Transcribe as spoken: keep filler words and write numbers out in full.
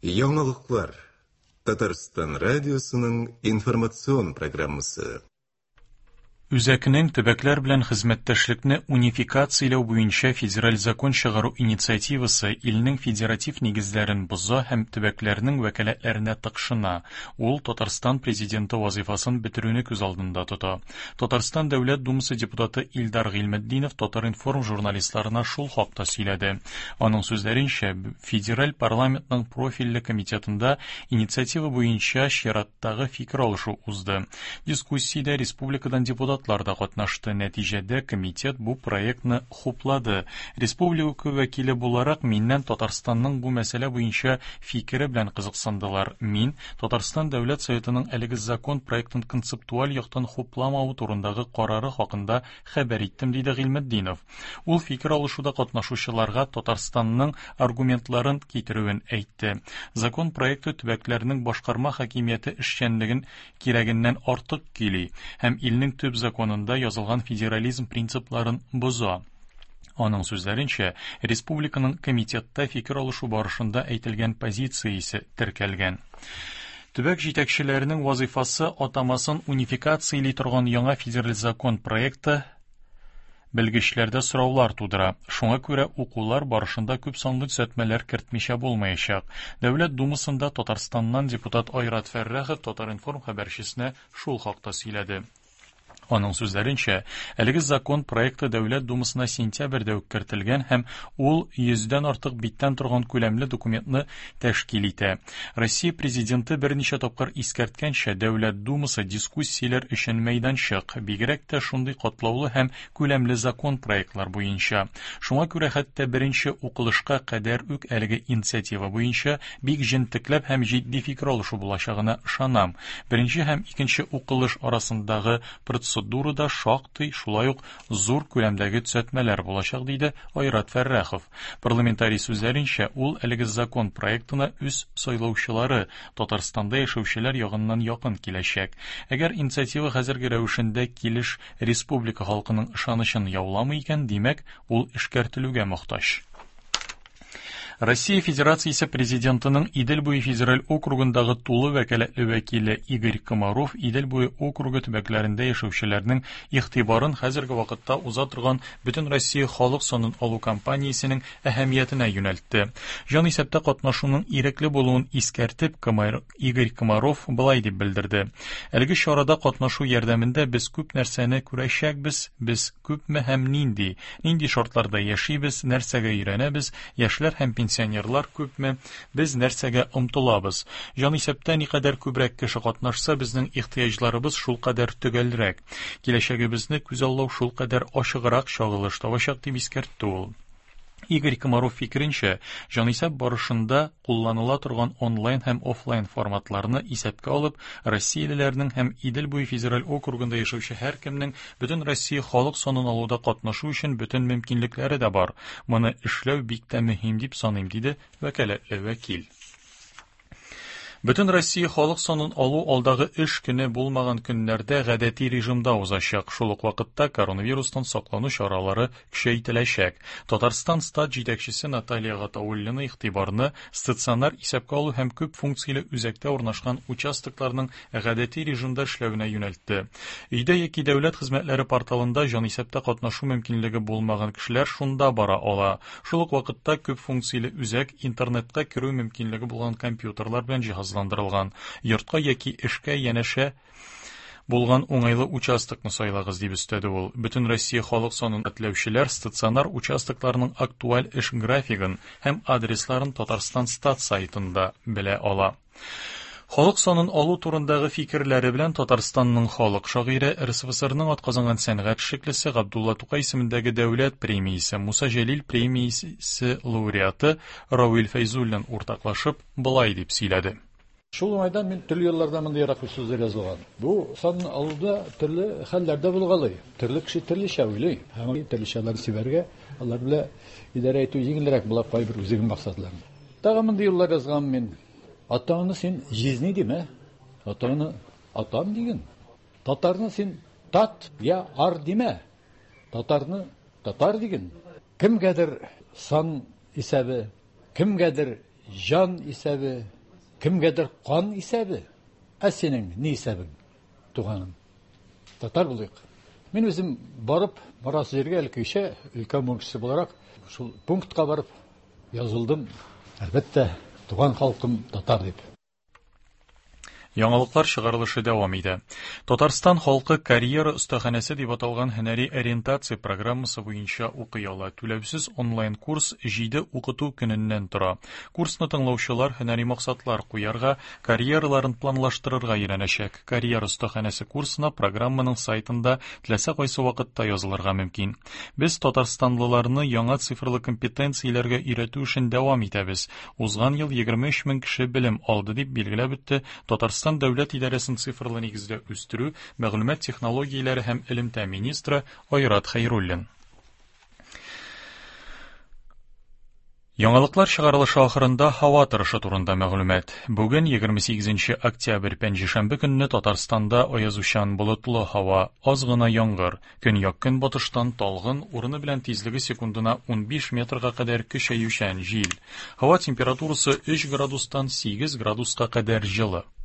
Яңалыклар. Татарстан радиосының информацион программасы. Үзәкнең төбәкләр белән хезмәттәшлекне унификацияләү буенча федераль закон чыгару инициативасы илнең федератив нигезләрен боза һәм төбәкләрнең вәкаләтләренә тыкшына. Ул Татарстан президенты вазифасын бетерүне күз алдында тота. Татарстан Дәүләт Думасы депутаты Илдар Гыйльметдинов Татар-информ журналистларына шул хакта сөйләде. Аның сүзләренчә, федераль парламентның профильле комитетында инициатива буенча чираттагы фикер алышу узды. Дискуссиядә республикадан депутат да катнашты. Нәтиҗәдә комитет бу проектны хуплады. Республика вәкиле буларак миннән Татарстанның бу мәсьәлә буенча фикере белән кызыксындылар. Мин Татарстан Дәүләт Советының әлеге закон проектын концептуаль яктан хупламавы турындагы карары хакында хәбәр иттем, диде Гыйльметдинов. Ул фикер алышуда катнашучыларга Татарстанның аргументларын китерүен әйтте. Закон проекты төбәкләрнең башкарма хакимияте эшчәнлеген кирәгеннән артык көйли һәм илнең төп законында язылган федерализм принципларын боза. Аның сүзләренчә, республиканың комитетта фикер алышу барышында әйтелгән позициясе теркәлгән. Төбәк җитәкчеләренең вазифасы атамасын унификацияли торган яңа федераль закон проекты белгечләрдә сораулар тудыра. Шуңа күрә укулар барышында күп санлы төзәтмәләр кертмичә булмаячак. Дәүләт Думасында Татарстаннан депутат Айрат Фәррахов Татар-информ хәбәрчесенә шул хакта сөйләде. Аның сүзләренчә, әлеге закон проекты Дәүләт Думасына сентябрьдә үк кертелгән һәм ул йөздән артык биттән торган күләмле документны тәшкил итә. Россия президенты берничә тапкыр искәрткәнчә, Дәүләт Думасы дискуссияләр өчен мәйданчык, бигрәк тә шундый катлаулы һәм күләмле закон проектлар буенча. Шуңа күрә хәтта беренче укылышка кадәр үк әлеге инициатива буенча бик җентекләп һәм җитди фикер алышу булачагына ышанам. Беренче һәм икенче укылыш арасындагы процедурада шактый шулай ук зур күләмдәге төзәтмәләр булачак, диде Айрат Фәррахов. Парламентарий сүзләренчә, ул әлеге закон проектына үз сайлаучылары Татарстанда яшәүчеләр ягыннан якын киләчәк. Әгәр инициатива хәзерге рәвешендә килеш республика халкының ышанычын яуламый икән, димәк, ул эшкәртелүгә мохтаҗ. Россия Федерациясе президентының Идел буе федераль округындагы тулы вәкаләтле вәкиле Игорь Комаров Идел буе округы төбәкләрендә яшәүчеләрнең игътибарын хәзерге вакытта уза торган Бөтен Россия халык санын алу кампаниясенең әһәмиятенә юнәлтте. Җан исәптә катнашуның ирекле булуын искәртеп, Игорь Комаров былай дип белдерде. Әлеге чарада катнашу ярдәмендә без күп нәрсәне күрәчәкбез, без күпме һәм нинди, нинди шартларда яшибез, нәрсәгә өйрәнәбез, яшьләр һәм пенсионерлар күпме, без нәрсәгә омтылабыз. Җан исәптә никадәр күбрәк кеше катнашса, безнең ихтыяҗларыбыз шулкадәр төгәлрәк. Киләчәгебезне күзаллау шулкадәр ачыграк чагылыш табачак, дип искәртте ул. Игорь Комаров фикеренчә, җанисәп барышында кулланыла торган онлайн һәм офлайн форматларны исәпкә алып, россиялеләрнең һәм Идел буе федераль округында яшәүче һәркемнең бөтен Россия халык санын алуда катнашу өчен бөтен мөмкинлекләре дә бар. Моны эшләү бик тә мөһим дип саныйм, диде вәкаләтле вәкил. Бөтен Россия халык санын алу алдагы эш көне булмаган көннәрдә гадәти режимда узачак. Шул ук вакытта коронавирустан саклану чаралары көчәйтеләчәк. Татарстан стат җитәкчесе Наталья Гатауллина игътибарны стационар исәпкә алу һәм күп функцияле үзәктә урнашкан участокларның гадәти режимда эшләвенә юнәлтте. Өйдә яки дәүләт хезмәтләре порталында җанисәптә катнашу мөмкинлеге булмаган кешеләр шунда бара ала. Шул ук вакытта күп функцияле үзәк интернетка керү мөмкинлеге булган компьютерлар белән җиһазланган. Йортка яки эшкә янәшә булган уңайлы участокны сайлагыз, дип өстәде ул. Бөтен Россия халык санын этләүчеләр стационар участокларның актуаль эш графигын һәм адресларын Татарстан стат сайтында белә ала. Халык санын алу турындагы фикерләре белән Татарстанның халык шагыйре, эр эс эф эс эрнең атказанган сәнгать эшлеклесе Габдулла Тукай исемендәге дәүләт премиясе, Муса Җәлил премиясе лауреаты Равил Фәйзуллин уртаклашып былай дип сөйләде. Шул уңайдан мин төрле елларда мондый ерак сүзләр язылган. Бу сан алуда төрле хәлләр дә булгалый. Төрле кеше төрлечә уйлый. Һәм төрлечәләр сибәргә, алар белән идарә итү җиңелрәк була кайбер үзенең максатларын. Тагы мондый юллар язган мин. Атаңны син җизни димә, атаңны атам диген. Татарны син тат я ар димә, татарны татар диген. Кемгәдер сан исәбе, кемгәдер җан исәбе, кемгәдер кан исәбе. Ә синең ни исәбең, туганым? Татар булыйк. Мин үзем барып, барасы җиргә элеккечә өлкән буын кешесе буларак, шул пунктка барып язылдым. Әлбәттә, туган халкым татар дип. Яңалыклар чыгарылышы дәвам итә. Татарстан халкы карьера остаханәсе дип аталган һөнәри ориентация программасы буенча укый ала. Түләүсез онлайн курс җиде укыту көненнән тора. Курсны тыңлаучылар һөнәри максатлар куярга, карьераларын планлаштырырга өйрәнәчәк. Карьера остаханәсе курсына программаның сайтында теләсә кайсы вакытта язылырга мөмкин. Без татарстанлыларны яңа цифрлы компетенцияләргә өйрәтү эшен дәвам итәбез. Узган ел егерме өч мең кеше белем алды, дип билгеләп үтте Татарстан дәүләт идарәсен цифрлы нигездә үстерү, мәгълүмат технологияләре һәм элемтә министры Айрат Хәйруллин. Яңалыклар чыгарылышы ахырында һава торышы турында мәгълүмат. Бүген егерме сигезенче октябрь пәнҗешәмбе көнне Татарстанда аязучан болытлы һава, аз гына яңгыр, көньяк-көнбатыштан талгын, урыны белән тизлеге секундына унбиш метрга кадәр көчәючән җил. Һава температурасы өч градустан сигез градуска кадәр җылы.